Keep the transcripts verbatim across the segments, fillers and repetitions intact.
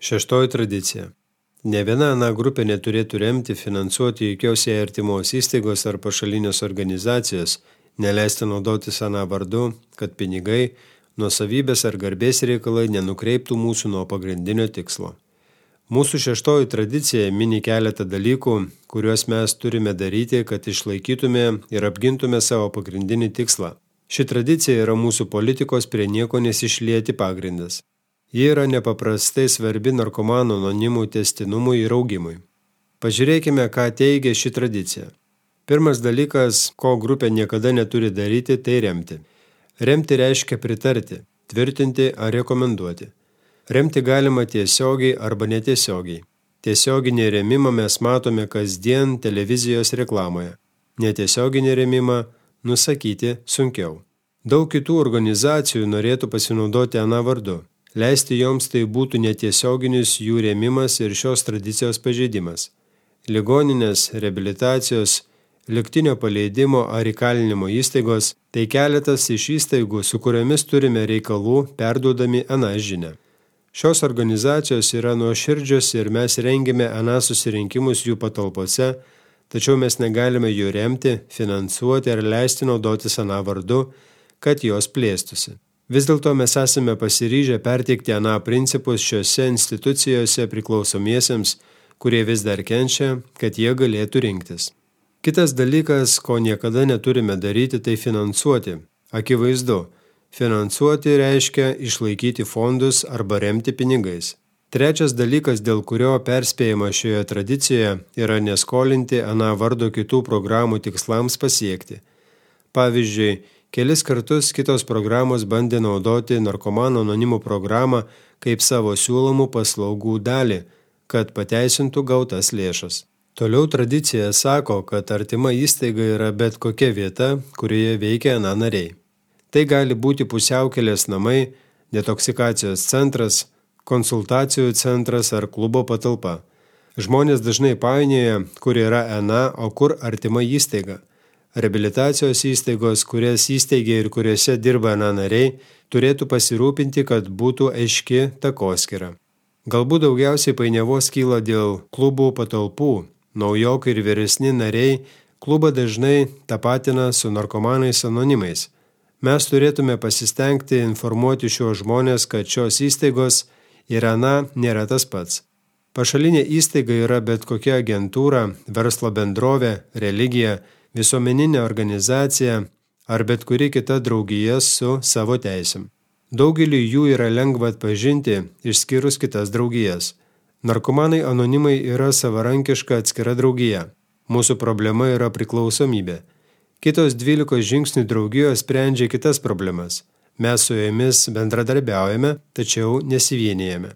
Šeštoji tradicija. Ne viena ana grupė neturėtų remti, finansuoti jokios jai artimos įstaigos ar pašalinės organizacijos, neleisti naudotis ana vardu, kad pinigai, nuosavybės ar garbės reikalai nenukreiptų mūsų nuo pagrindinio tikslo. Mūsų šeštoji tradicija mini keletą dalykų, kuriuos mes turime daryti, kad išlaikytume ir apgintume savo pagrindinį tikslą. Ši tradicija yra mūsų politikos prie nieko nesišlieti pagrindas. Ji yra nepaprastai svarbi narkomanų anonimų tęstinumui ir augimui. Pažiūrėkime, ką teigia ši tradicija. Pirmas dalykas, ko grupė niekada neturi daryti, tai remti. Remti reiškia pritarti, tvirtinti ar rekomenduoti. Remti galima tiesiogiai arba netiesiogiai. Tiesioginį rėmimą mes matome kasdien televizijos reklamoje. Netiesioginį rėmimą nusakyti sunkiau. Daug kitų organizacijų norėtų pasinaudoti ana vardu. Leisti joms tai būtų netiesioginis jų rėmimas ir šios tradicijos pažeidimas. Ligoninės, reabilitacijos, lygtinio paleidimo ar įkalinimo įstaigos – tai keletas iš įstaigų, su kuriomis turime reikalų perduodami ana žinią. Šios organizacijos yra nuoširdžios ir mes rengiame ana susirinkimus jų patalpose, tačiau mes negalime jų remti, finansuoti ar leisti naudotis ana vardu, kad jos plėstųsi. Vis dėlto mes esame pasiryžę perteikti ana principus šiose institucijose priklausomiesiems, kurie vis dar kenčia, kad jie galėtų rinktis. Kitas dalykas, ko niekada neturime daryti, tai finansuoti. Akivaizdu, finansuoti reiškia išlaikyti fondus arba remti pinigais. Trečias dalykas, dėl kurio perspėjama šioje tradicijoje, yra neskolinti ana vardo kitų programų tikslams pasiekti. Pavyzdžiui, kelis kartus kitos programos bandė naudoti narkomanų anonimų programą kaip savo siūlomų paslaugų dalį, kad pateisintų gautas lėšas. Toliau tradicija sako, kad artima įstaiga yra bet kokia vieta, kurioje veikia ana nariai. Tai gali būti pusiaukelės namai, detoksikacijos centras, konsultacijų centras ar klubo patalpa. Žmonės dažnai painioja, kur yra ana, o kur artima įstaiga. Reabilitacijos įstaigos, kurias įsteigia ir kuriuose dirba ana nariai, turėtų pasirūpinti, kad būtų aiški takoskyra. Galbūt daugiausiai painiavos kyla dėl klubų patalpų. Naujokai ir vyresni nariai klubą dažnai tapatina su narkomanais anonimais. Mes turėtume pasistengti informuoti šios žmonės, kad šios įstaigos ir ana nėra tas pats. Pašalinė įstaiga yra bet kokia agentūra, verslo bendrovė, religija, visuomeninė organizacija ar bet kuri kita draugija su savo teisėm. Daugelį jų yra lengva atpažinti, išskyrus kitas draugijas. Narkomanai anonimai yra savarankiška atskira draugija. Mūsų problema yra priklausomybė. Kitos dvylikos žingsnių draugijos sprendžia kitas problemas. Mes su jomis bendradarbiaujame, tačiau nesivienijame.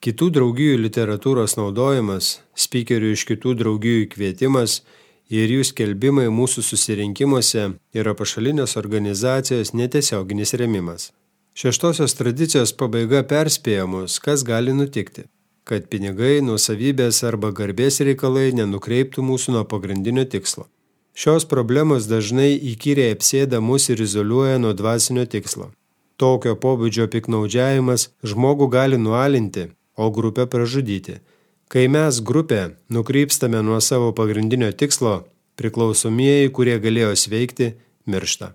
Kitų draugijų literatūros naudojimas, spykerių iš kitų draugijų kvietimas ir jų skelbimai mūsų susirinkimuose yra pašalinės organizacijos netiesioginis rėmimas. Šeštosios tradicijos pabaiga perspėja mus, kas gali nutikti, kad pinigai, nuosavybės arba garbės reikalai nenukreiptų mūsų nuo pagrindinio tikslo. Šios problemos dažnai įkyriai apsėda mus ir izoliuoja nuo dvasinio tikslo. Tokio pobūdžio piknaudžiavimas žmogų gali nualinti, o grupę pražudyti. Kai mes grupė nukrypstame nuo savo pagrindinio tikslo, priklausomieji, kurie galėjo sveikti, miršta.